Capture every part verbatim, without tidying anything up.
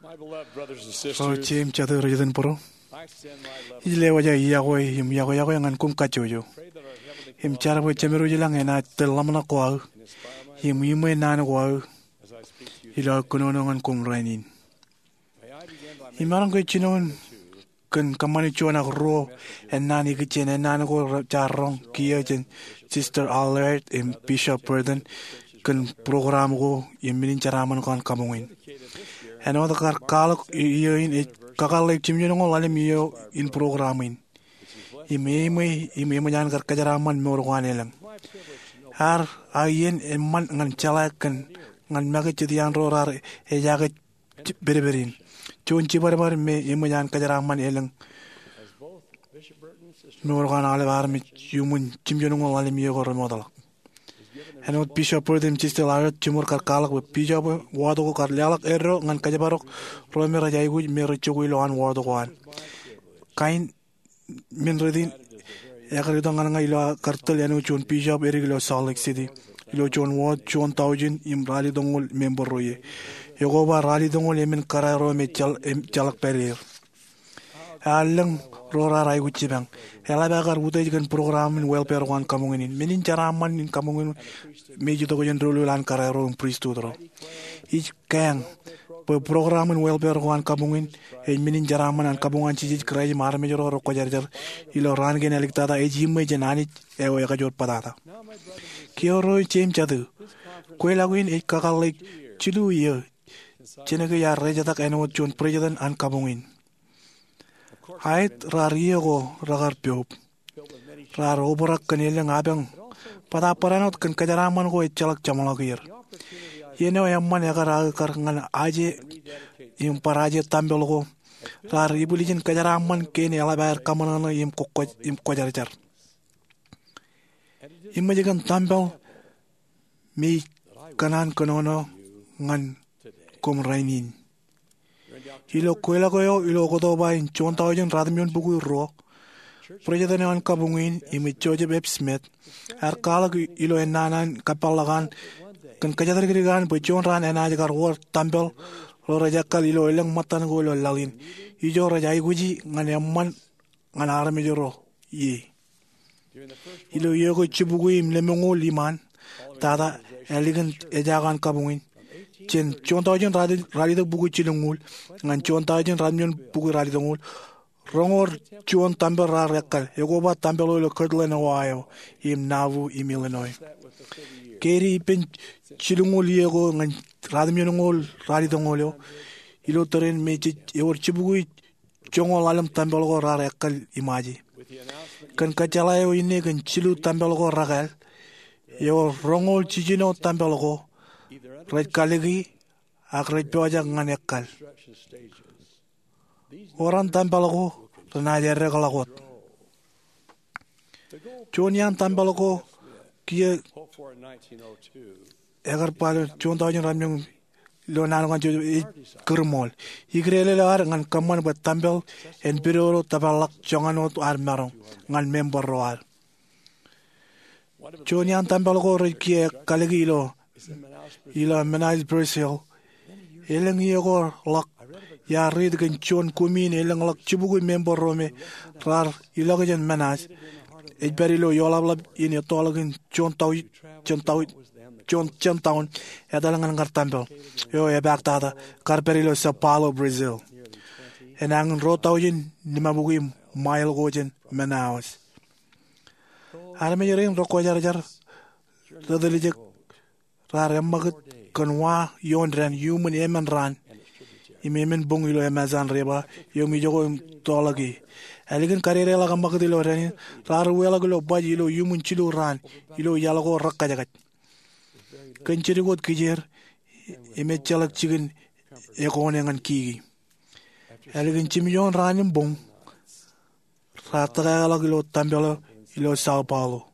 Ro jeiū im jatū rej iten būruō, ij lewōj aō iọkwe im iọkwe iọkwe ñan koṃ kajjojo im jar bwe Jemedwōj ilañ enaaj tōl ḷōmṇak ko aō im iṃwe naan ko aō ilo aō kōnono ñan koṃ rainin. Imaroñ ke jinoin kōn kōṃṃane juon ak ruo ennaan ikijjien ennaan ko jaar roñ kiiō jān Sister Allard im Bishop Burton kōn program ko im men in jeraaṃṃan ko an kabuñ in. Āinwōt kar kwaḷọk iiō in ej kakōḷḷe jimjuonñoul ḷalem iiō in program in im eṃṃan im eṃōj an kar kōjeraaṃṃan mour ko an elōñ. Ear aō iien eṃṃan ñan jeḷā kōn ñan make jet iaan ro raar ejaake pedped in. Juon jibadbad me eṃōj an kōjeraaṃṃan elōñ mour ko an aolep armej iuṃwin jimjuonñoul ḷalem iiō ko remootḷọk. Āinwōt Bishop Burton im Sister Allard, jiṃor kar kwaḷọk bwe bishop wōt ko kar leḷọk eddo ñan kōjparok ro me rej aikuj me rej jokwe ilowaan wōt ko an. Kain men rot in ekar itok ñan ña ilo aō kar tōl āinwōt juon bishop edik ilo Salt Lake City ilo juon wōt juon taujin im ralitōñoul member ro ie. Ekoba ralitōñoul emān kōrā ro me ejjeḷọk pād er. Ear lōñ ro raar aikuj jipañ. Eḷap aō kar utiej kōn program in welfare ko an kabuñ in. Men in jeraaṃṃan in kabuñ in me ej itok jān doulul an kōrā ro im pristut ro. Ij kaeñ bwe program in welfare ko an kabuñ in ej men in jeraaṃṃan an kabuñ an Jisōs Kraist im armej ro rekwōjarjar ilo raan kein āliktata ej iṃwe jān Anij eo ekajoor bōtata. Kiiō ro jeiū im jatū, kweilọk in ej kakōḷḷe jilu iiō jān ke iar rejetak āinwōt juon president an kabuñ in. Aet, raar iiō ko rekar poub. Raar obrak kōn elōñ apañ, bōtaab barāinwōt kōn kōjeraaṃṃan ko ejjeḷọk jeṃḷọk er. Iien eo eṃṃan ekar aō kar ñan aje im bar aje tempel ko, raar ibwiljin kōjeraaṃṃan kein eḷap aer kaṃōṇōṇō im kwōjarjar. Eṃōj kōn tempel me ij kōṇaan kōnono ñan koṃ rainin. Ilo kweilọk eo ilo Oktoba in juon taujin ratimjuon bukwi ruo, president eo an kabuñ in im ej Joseph F. Smith ear kwaḷọk ilo ennaan an kōpeḷḷọk an kōn kōjatdikdik an bwe juon raan enaaj kar wōr tempel ro rej ekkal ilo elōñ ṃōttan ko ilo laḷ in. Ijo rej aikuji ñan eṃṃan ñan armej ro ie. Ilo iiō ko jibukwi im lemñoul iṃaan, tata ālikin ejaak an kabuñ in, jān juon taujin ralitōk bukwi jilñuul ñan juon taujin ratimjuon bukwi ralitōñoul, roñoul juon tempel raar ekkal, ekoba tempel eo ilo Kirtland, Ohio, im Nauvoo im Illinois. Ke ej ippān jilñuul iiō ko ñan ratimjuonñoul ralitōñoul eo, ilo tōre in me jej ewōr jibukwi joñoul ḷalem tempel ko raar ekkal iṃaje. Kōn kōjjeḷā eo inne kōn jilu tempel ko rekāāl, ewōr roñoul jiljino tempel ko rej kaliki ak rej pojak ñan ekkal. Wōran tempel ko renaaj eddekḷọk wōt. Juon iaan tempel ko kiiō ekar ba ilo juon taujin ratimjuon ilo naan ko an Joseph ej kūrṃool. Ikdeḷọñ eo ad ñan kōṃṃan bwe tempel en pidodo tōparḷọk joñan wōt ad maroñ ñan member ro ad. Juon iaan tempel ko rej kiiō kaliki ilo ilo Manaus, Brazil. Elōñ iiō ko ḷọk iar riit kōn juon komiin elōñḷọk jibukwi member ro me raar ilọk jān Manaus ej pād ilo ioḷapḷap in ettoḷọk in juon taujin, juon taujin, juon, juon taujin etal ñan kar tempel eo epaak tata kar pād ilo São Paulo, Brazil, enañin ruo taujin limabukwi mile ko jān Manaus. Armej rein rekwōjarjar retiljek raar eṃṃakūt kōn wa ioon dān iuṃwin emān raan im emān boñ ilo Amazon River eo im ijoko im toḷọk ie. Ālikin kadedeḷọk eṃṃakūt ilo dān in, raar uweḷọk ilo baj ilo iuṃwin jilu raan ilo iaḷ ko rekkajkaj. Kōn jidik wōt kijeer im ejjeḷọk jikin ekone ñan kiki. Ālikin jimjuon raan im boñ, raar tōkāākḷọk ilo tempel eo ilo São Paulo.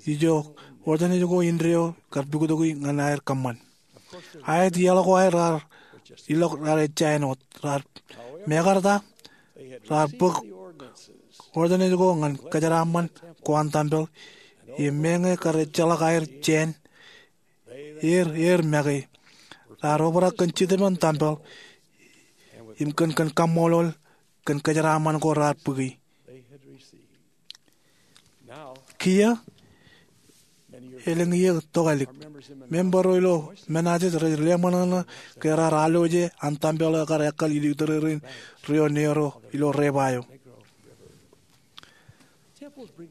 Ijo ordinance ko indeeo kar puktoki ñan aer kōṃṃan. Aet, iaḷ ko aer raar ilọk raar ejja āinwōt raar, mekarta raar bōk ordinance ko ñan kōjeraaṃṃan ko an tempel im meñe kar ejjeḷọk aer jāān er, er make. Raar obrak kōn Jetōb in tempel im kōn kōn kaṃṃoolol kōn kōjeraaṃṃan ko raar bōki. Kiiō, elōñ iiō tokālik, member ro ilo Manassas rej leṃōṇōṇō ke raar alwōje an tempel eo ekar ekkal ilo tōrerein rio neo ro ilo Repa eo.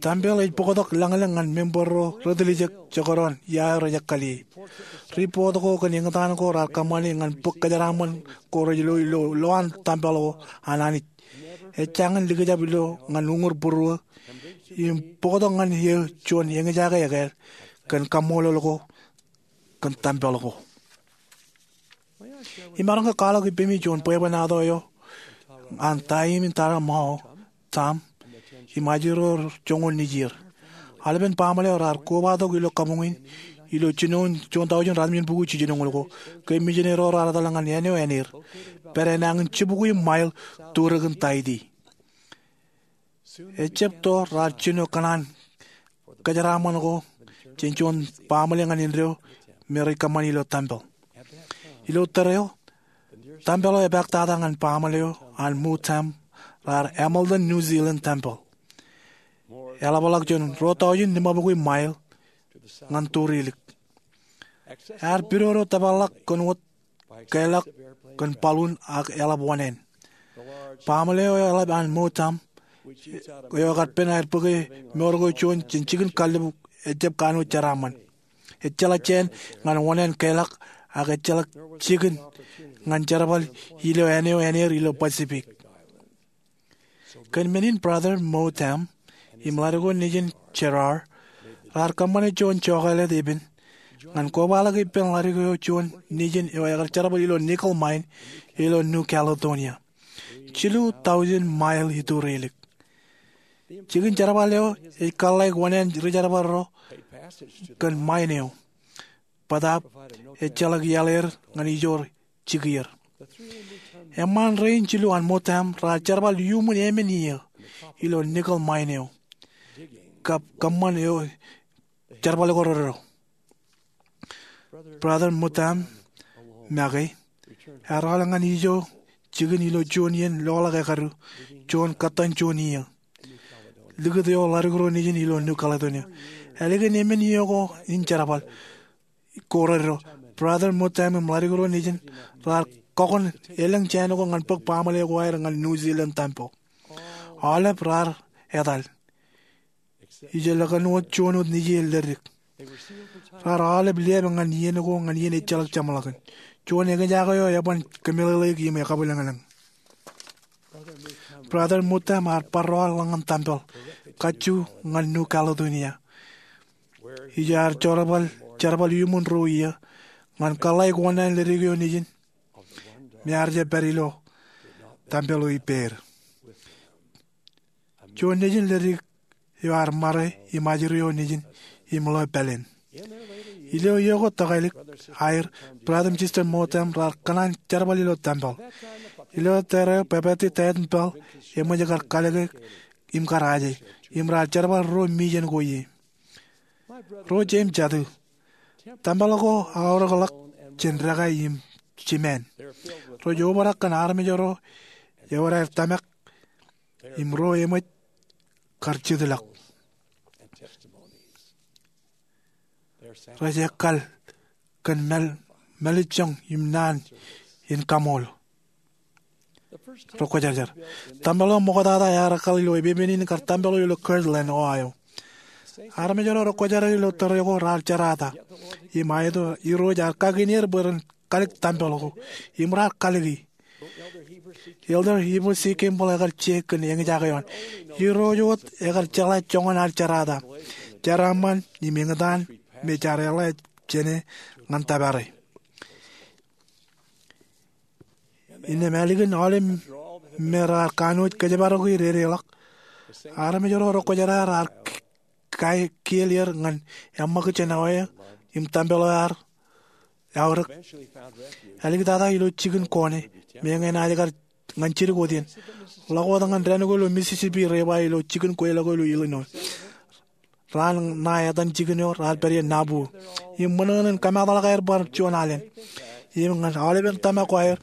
Tempel ej bōktok lañlōñ ñan member ro retiljek jekdọọn ia eo rej ekkal ie. Report ko kōn eñtaan ko raar kōṃṃani ñan bōk kōjeraaṃṃan ko rej lo ilo lowaan tempel ko an Anij ej jañin likjab ilo ñan uñūr būruō im bōktok ñan eō juon eñjake ekāāl kōn kaṃṃoolol ko kōn tempel ko. Imaroñ ke kwaḷọk ippemi juon bwebwenato eo an Taim im Tara Mao, Tam, im ajri ro joñoul nejier. Aolepen baaṃle eo raar kobatok ilo kabuñ in ilo jinoin juon taujin ratimjuonbukwi jiljinoñoul ko ke mijineri ro raar etal ñan āne eo āneer, pād enañin jibukwi mile turōkin Taiti. Ejab to raar jino kōṇaan kōjeraaṃṃan ko jān juon baaṃle ñan indeeo me rej kōṃṃani ilo tempel. Ilo tōre eo, tempel eo epaak tata ñan baaṃle eo an Mou Tham, raar Hamilton New Zealand Tempel. Eḷapḷọk jān ruo taujin limabukwi mile ñan turilik. Ear pidodo tōparḷọk kōn wōt keḷọk kōn balloon ak eḷap oṇāān. Baaṃle eo eḷap an Mou Tham, eo ekar pen aer bōke mour ko juon jān jikin kallib, ejab kanooj jeraaṃṃan. Ejjeḷọk jāān ñan oṇāān keḷọk, ak ejjeḷọk jikin ñan jerbal ilo āne eo āneer ilo Pacific. Kōn men in, Brother Mou Tham im ḷaddik eo nejin Gerard raar kōṃṃane juon jokālet epen ñan kobaḷọk ippān ḷaddik eo juon nejin eo ekar jerbal ilo nickel mine ilo New Caledonia, jilu taujin mile iturilik. Jikin jerbal eo ej kōḷḷāik oṇāān rijerbal ro kōn mine eo, bōtaab ejjeḷọk iaḷ er ñan ijoor jikier. Eṃṃaan rein jilu an Mou Tham raar jerbal iuṃwin emān iiō ilo nickel mine eo, kab kōṃṃan eo jerbal ko reddo. Brother Mou Tham make ear aolep ñan ijo jikin ilo juon iien loḷọk ekadu, juon kōttan juon iiō, likūt eo ḷaddik ro nejin ilo New Caledonia. Ālikin emān iiō ko in jerbal ko reddo, Brother Mou Tham im ḷaddik ro nejin raar kọkoṇ elōñ jāān ko ñan bōk baaṃle ko aer ñan New Zealand Tempel. Aolep raar etal. Ijellọkin wōt juon wōt nejier leddik. Raar aolep liab ñan iien ko ñan iien ejjeḷọk jeṃḷọkin. Juon eñjake eo eban kōmeḷeḷeik im ekabwilōñlōñ. Brother Mou Tham ear bar ro ḷọk ñan tempel kajju ñan New Caledonia, ijo ear jerbal, jerbal iuṃwin ruo iiō ñan kōḷḷāik oṇāān leddik eo nejin me ear jab pād ilo tempel eo ippāer. Juon nejin leddik eo ear ṃare im ajri eo nejin im ḷeo pāleen. Ilo iiō ko tokālik aer, Brother im Sister Mou Tham raar kōṇaan jerbal ilo tempel. Ilo tōre eo, bwebwenato Taetan Pāl eṃōj kar kalōke im kar aje, im raar jerbal ruo mijen ko ie. Ro jeiū im jatū, tempel ko aorōkḷọk jān dekā im jimāān. Rej obrak kōn armej ro ewōr aer tōmak im ro eṃōj kar jitḷọk. Rej ekkal kōn māl, mālejjoñ im naan in kaṃool. Rekwōjarjar. Tempel eo ṃoktata ear ekkal ilo epepen in kar tempel eo ilo Kirtland, Ohio. Armej ro rekwōjarjar ilo tōre ko raar jerata im aeto Irooj ear kakin er bwe ren kalōk tempel ko, im raar kalōki. Elder Heber C. Kimball ekar je kōn eñjake eo an. Irooj wōt ekar jeḷā joñan ad jerata, jeraaṃṃan im eñtaan me jaar eḷā jāne ñan tōpare. Innām ālikin aolep me raar kanooj kōjparoki dedeḷọk, armej ro rekwōjarjar ear kiel er ñan eṃṃakūt jān awa eo im tempel eo ear aorōk. Āliktata ilo jikin kone, meñe enaaj kar ñan jidik wōt iien, ḷọk wōt ñan dān ko ilo Mississippi River ilo jikin kweilọk ko ilo Illinois. Raan ṇae etan jikin eo raar pād iien Nauvoo im ṃōṇōṇō in kōmaatḷọk aer bar juon alen. im ñan aolepen tōmak ko aer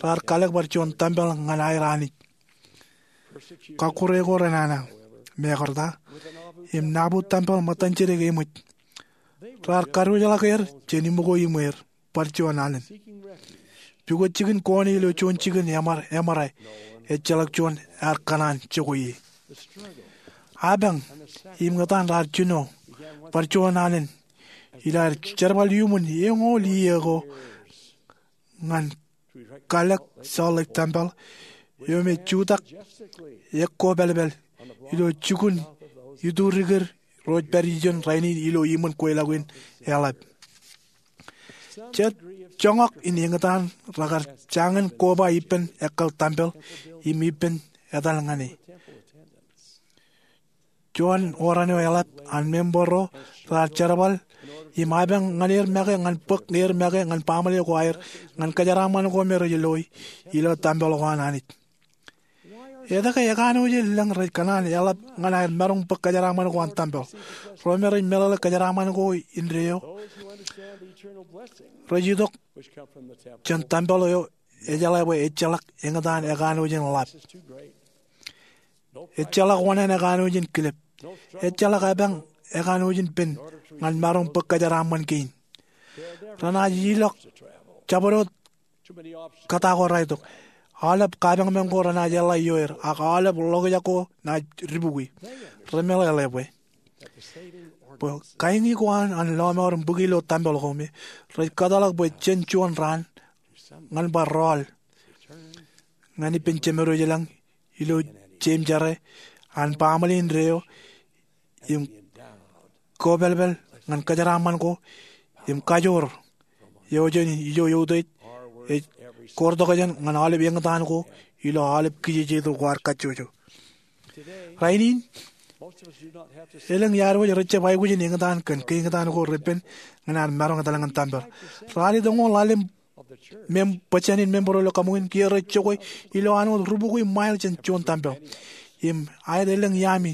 raar kalōk bar juon tempel ñan aer Anij. Kọkkure ko renana, mekarta, im nabut tempel ṃōttan jidik eṃōj. Raar kadiwōjḷọk er jān iṃōko iṃweer bar juon alen. Pukot jikin Koṇe ilo juon jikin eṃar, eṃōrā, ejjeḷọk juon ear kōṇaan jokwe ie. Apañ im ñūttan raar jino bar juon alen ilo aer jerbal iuṃwin eñoul iiō ko ñan kalōk Salt Lake Tempel eo me jutak ekkōpālpāl ilo jukun iturikūr ro rej pād ijeṇ rainin ilo iṃōn kweilọk in eḷap. Jet joñak in eñtaan rekar jañin koba ippān ekkal tempel im ippān etal ñan e. Juon oran eo eḷap an member ro raar jerbal im apañ ñan er make ñan bōk er make ñan baaṃle ko aer ñan kōjeraaṃṃan ko me rej loi ilo tempel ko an Anij. Etke ekanooj in lōñ rej kōṇaan eḷap ñan aer maroñ bōk kōjeraaṃṃan ko an tempel? Ro me rej meḷeḷe kōjeraaṃṃan ko indeeo rej itok jān tempel eo ejeḷā bwe ejjeḷọk eñtaan ekanooj in ḷap. Ejjeḷọk oṇāān ekanooj in kilep. Ejjeḷọk apañ ekanooj in pen ñan maroñ bōk kōjeraaṃṃan kein. Renaaj ilọk jabdewōt kōta ko raetok. Aolep kapañpañ ko renaaj eḷḷā ioer, ak aolep ḷokjak ko naaj dibukwi. Remeḷeḷe bwe, bwe kaini ko an, an lọmọọr im bōki ilo tempel ko me rej kōtḷọk bwe jen juon raan ñan bar rọọl ñan ippān Jemed eo ilañ ilo jeim jere an baaṃle indeeo im kōpālpāl ñan kōjeraaṃṃan ko im kajoor eo jān ijo eutiej ej koortokjān ñan aolep eñtaan ko ilo aolep kijejeto ko ad kajjojo. Rainin, elōñ iaad wōj rej jab aikuj in eñtaan kōn keeñtaan ko repen ñan ad maroñ etal ñan tempel. Ralitōñoul ḷalem mem-, bōjjān in member ro ilo kabuñ in kiiō rej jokwe ilo an wōt rubukwi mile jān juon tempel. Im aet elōñ iaami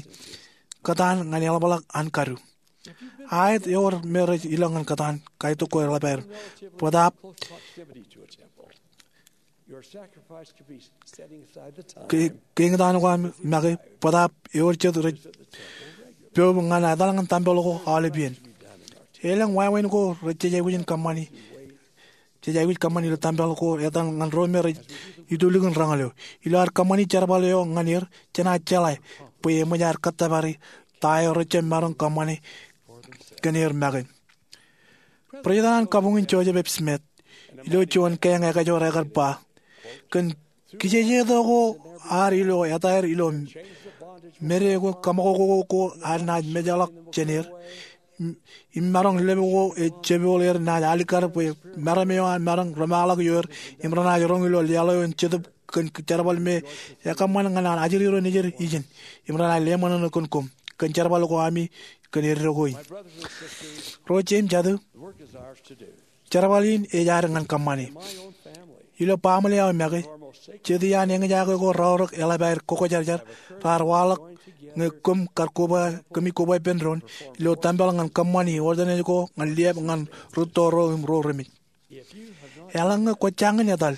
kōtaan ñan eḷapḷọk an kadu. Aet ewōr me rej ilọk ñan kōtaan, kaitok ko eḷap aer. Bōtaab ke-, keeñtaan ko aṃ make, bōtaab ewōr jet rej poub ñan etal ñan tempel ko aolep iien. Elōñ wāween ko rej jej aikuj in kōṃṃani, jej aikuj kōṃṃani ilo tempel ko etal ñan ro me rej itulikin reñal eo. Ilo ad kōṃṃani jerbal eo ñan er, jenaaj jeḷā bwe eṃōj aer kōttōpare ta eo rej jab maroñ kōṃṃane kōn er make. President an kabuñ in Joseph F. Smith, ilo juon keeñ ekajoor ekar ba, kōn kijejeto ko ad ilo etaer ilo mede ko kaṃakoko ko ad naaj mejḷọk jān er, im, im maroñ lepḷọk ko ej jepḷọk er naaj alikkar bwe meram eo an maroñ remaḷọk ioer, im renaaj roñ ilo laḷ eo an Jetōb kōn jerbal me ekōṃṃan ñan an ajri ro nejid ijin, im renaaj leṃōṇōṇō kōn koṃ, kōn jerbal ko ami kōn eddo ko in. Ro jeiū im jatū, jerbal in ej ad ñan kōṃṃane. Ilo baaṃle eo aō make, jet iaan eñjake ko raorōk eḷap aer kokkojarjar, raar waḷọk ñe koṃ kar koba, kōmij koba ippān doon, ilo tempel ñan kōṃṃani ordanej ko ñan liab ñan rūtto ro im ro remej. Eḷaññe kwōj jañin etal,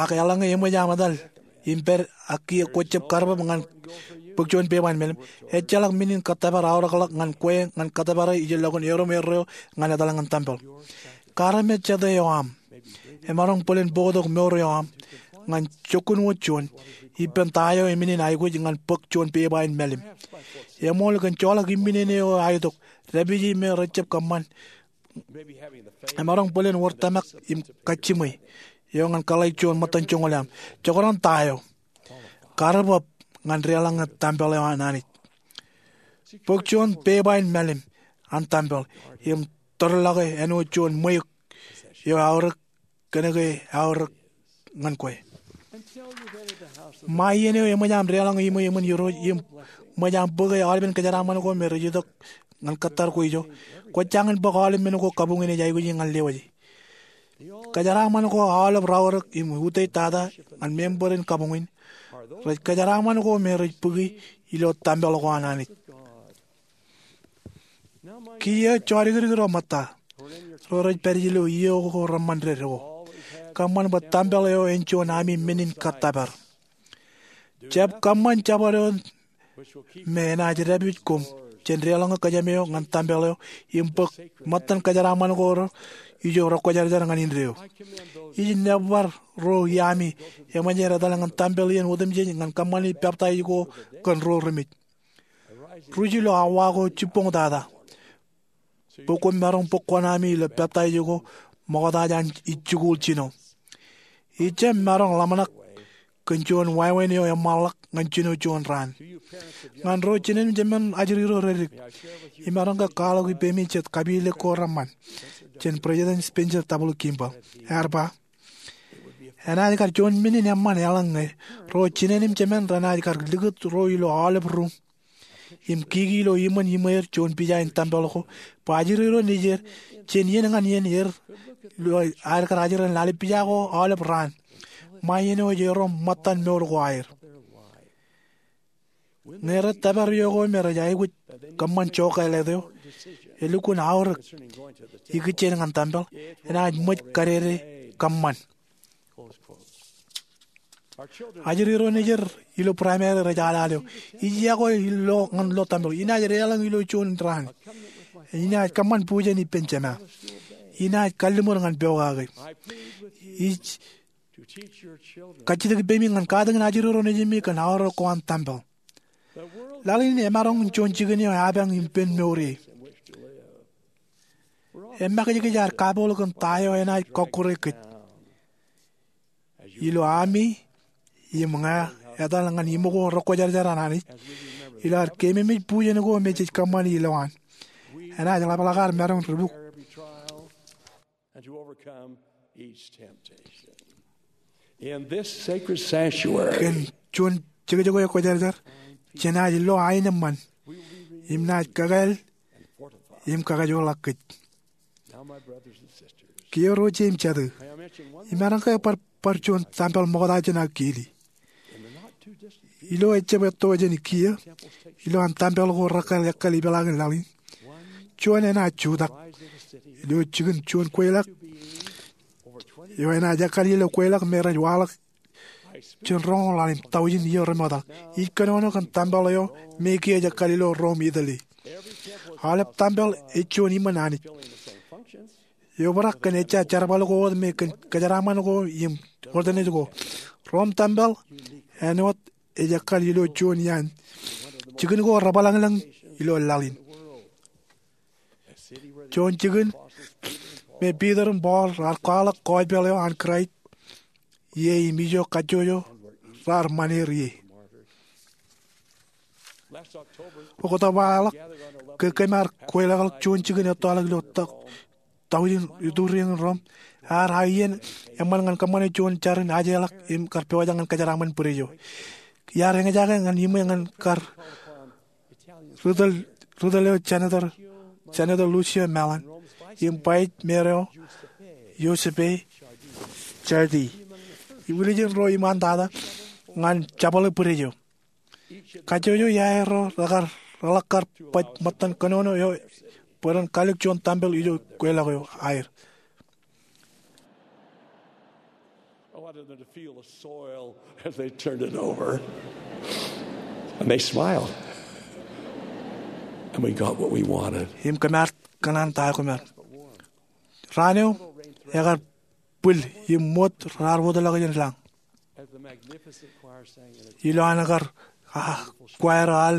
ak eḷaññe eṃōj aṃ etal im pād ak kiiō kwōj jab karbōb ñan bōk juon peba in mālim, ejjeḷọk men in kōttōpar aorōkḷọk ñan kwe ñan kōttōpare ijellọkin erom erreo ñan etal ñan tempel. Kar me jete eo aṃ emaroñ bōlen bōktok mour eo aṃ ñan jokkun wōt juon ippān ta eo emenin aikuj ñan bōk juon peba in mālim. Eṃool kōn joḷọk imminene eo aetok, dāpiji me rej jab kōṃṃan, emaroñ bōlen wōr tōmak im kajjiṃwe eo ñan kōḷḷāik juon ṃōttan joñoul eo aṃ. Jekdọọn ta eo, karbōb ñan deḷọñe tempel eo an Anij. Bōk juon peba in mālim an tempel im tōrḷọke āinwōt juon ṃweiuk eo eaorōk kōnke eaorōk ñan kwe. Ṃae iien eo eṃōj aṃ deḷọñe iṃwe eṃōn Irooj im ṃōj aṃ bōke aolepen kōjeraaṃṃan ko me rej itok ñan kōttar ko ijo, kwōj jañin bōk aolep men ko kabuñ in ej aikuji ñan lewōje. Kōjeraaṃṃan ko aolep raorōk im utiej tata ñan member in kabuñ in, rej kōjeraaṃṃan ko me rej bōki ilo tempel ko an Anij. Kiiō jodikdik ro ṃōtta, ro rej pād ilo iiō ko reṃṃan dedo. Kōṃṃan bwe tempel eo en juon ami men in kōttōpar. Jab kōṃṃan jabdewōt me enaaj dāpij koṃ jān deḷọñe kōjām eo ñan tempel eo im bōk ṃōttan kōjeraaṃṃan ko ijo rekwōjarjar ñan indeeo. Ij nōbar ro iami eṃōj aer etal ñan tempel iien otemjej ñan kōṃṃani peptaij ko kōn ro remej. Ruj ilo awa ko jibboñtata bwe koṃ maroñ bōk kuṇaami ami ilo peptaij ko ṃokta jān ij jikuuḷ jino. Ij jab maroñ ḷōmṇak kōn juon wāween eo eṃṃanḷọk ñan jino juon raan. Ñan ro jinen im jemān ajri ro reddik, imaroñ ke kwaḷọk ippemi jet kapilōk ko reṃṃan jān President Spencer W. Kimball. Ear ba, enaaj kar juon men in eṃṃan eḷaññe ro jinen im jemān renaaj kar likūt ro ilo aolep ruuṃ im kiki ilo iṃōn iṃweer juon pija in tempel ko bwe ajri ro nejier jān iien ñan iien er ilo aer kar ajri ḷalem pija ko aolep raan ṃae iien eo ej erom ṃōttan mour ko aer. Ñe rej tōpar iiō ko me rej aikuj kōṃṃan jokālet eo, elukkuun aorōk ikijjien ñan tempel, enaaj ṃōj kadede kōṃṃan. Ajri ro nejier ilo primary rej alal eo, ij yokwe ilo ñan lo tempel, inaaj deḷọñ ilo juon raan, inaaj kōṃṃan bujen ippān jema, inaaj kalliṃur ñan pokake. Ij kajjitōk ippāmi ñan katakin ajri ro nejimi kōn aorōk ko an tempel. Laḷ in emaroñ in juon jikin eo epañ im pen mour ie. Emakijkij ad kapool kōn ta eo enaaj kọkkure kōj. Ilo ami im ña etal ñan iṃō ko rekwōjarjar an Anij, ilo ad keememej bujen ko me jej kōṃṃani ilowaan, enaaj ḷapḷọk ad maroñ ri buk and to overcome each temptation. In this sacred sanctuary, kōn juon jekjek eo ekwōjarjar, jenaaj lo ain eṃṃan im naaj kakāāl im kakajoorḷọk kōj. Now, my brothers and sisters, kiiō ro ije im jatū, I am mentioning one imaroñ ke bar bar juon tempel ṃokta jān aō kiili. Ilo ejjab etto jān kiiō, ilowaan tempel ko rekkāāl ekkal ipeḷaakin laḷ in, juon enaaj jutak. Ilo jikin juon kweilọk eo enaaj ekkal ilo kweilọk me rej waḷọk jān roñoul ḷalem taujin iiō remootḷọk. Ij kōnono kōn tempel eo me kiiō ej ekkal ilo Rome, Italy. Aolep tempel ej juon iṃōn Anij. Eobrak kōn ejja jerbal ko wōt me kōn kōjeraaṃṃan ko im wōtlōtlōt ko. Rome tempel āinwōt ej ekkal ilo juon iaan jikin ko rebōḷañḷōñ ilo laḷ in. Juon jikin me Piter im Paul raar kwaḷọk gospel eo an Kraist ie im ijo kajjojo raar ṃan er ie. Oktoba eo ḷọk, ke kōm ar kweilọkḷọk juon jikin ettoḷọk ilo taujin ituriañ in Rome, ear aō iien eṃṃan ñan kōṃṃane juon jar in ajeḷọk im kar pojak ñan kōjeraaṃṃan bwidej eo. Iar eñjake ñan iṃwe ñan kar ri tōl eo Senator Lucio Malan im Vice Mayor eo Giuseppe Ciardi, ilo ijin ro iṃaantata ñan jabōḷe bwidej eo. Kajjojo iaer ro rekar reḷak kar baj ṃōttan kōnono eo bwe ren kallik juon tempel ijo kweilọk eo aer. I wanted them to feel the soil as they turned it over. And they smiled. And we got what we wanted. Im kōm ar kōṇaan ta eo kōm ar. Raan eo ekar bwil im ṃōt raar wōtlọk jān lañ. Ilo an kar kwaer al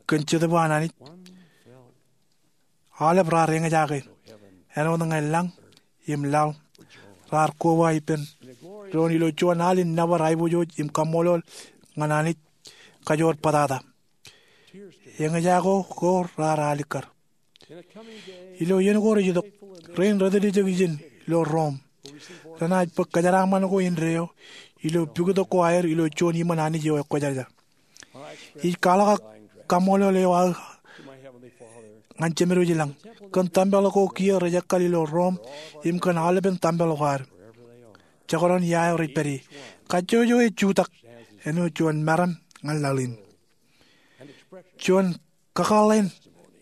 kōn Jetōb an Anij, aolep raar eñjake āinwōt ñe lañ im laḷ raar koba ippān doon ilo juon al in nōbar aiboojoj im kaṃṃoolol ñan Anij kajoor bōtata. Eñjake ko raar alikkar. Ilo iien ko rej itok, rein rej tōl ijek ijin ilo Rome renaaj bōk kōjeraaṃṃan ko indeeo ilo pukot ko aer ilo juon iṃōn Anij eo ekwōjarjar. Ij kwaḷọk kaṃṃoolol eo aō ñan Jemedwōj ilañ kōn tempel ko kiiō rej ekkal ilo Rome im kōn aolepen tempel ko ad. Jekdọọn ia eo rej pād ie, kajjojo ej jutak āinwōt juon meram ñan laḷ in. Juon kakōḷḷe in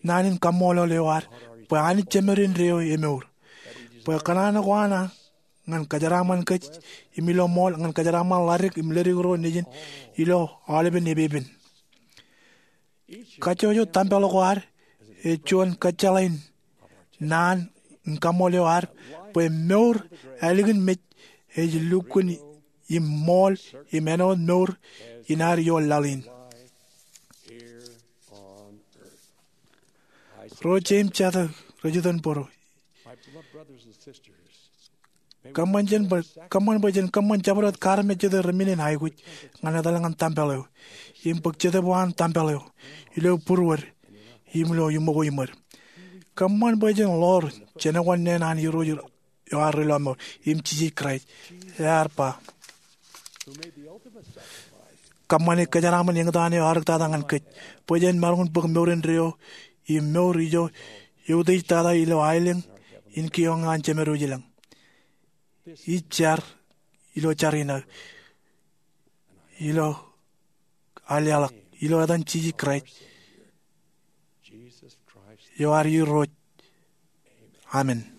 naan in kaṃṃoolol eo ad bwe Anij Jemedin eo emour, bwe kōṇaan ko an ñan kōjeraaṃṃan kōj im ilo ṃool, ñan kōjeraaṃṃan ḷadik im ledik ro nejin ilo aolepen epepen. Kajjojo tempel ko ad ej juon kōjjeḷā in naan in kaṃṃool eo ad bwe mour ālikin mej ej lukkuun im ṃool im āinwōt mour in ad ioon laḷ in. Ro jeiū im jatū rej iten bōro, kōṃṃan bwe jen kōṃṃan jabdewōt kaarmejjete remenen aikuj ñan etal ñan tempel eo im bōk Jetōb eo an tempel eo ilo būruod im ilo iṃōko iṃōd. Kōṃṃan bwe jen ḷoor jenōkwan neen an Irooj eo ad Rilọmọọr im Jisōs Kraist, ear ba, kōṃṃane kōjeraaṃṃan eñtaan eo earōktata ñan kōj bwe jen maroñ in bōk mour indeeo im mour ijo eutiej tata ilo aelōñ in kioñ an Jemedwōj ilañ. Ij jar ilo jar in aō, ilo aō leḷọk, ilo etan Jisōs Kraist eo ad Irooj, amen.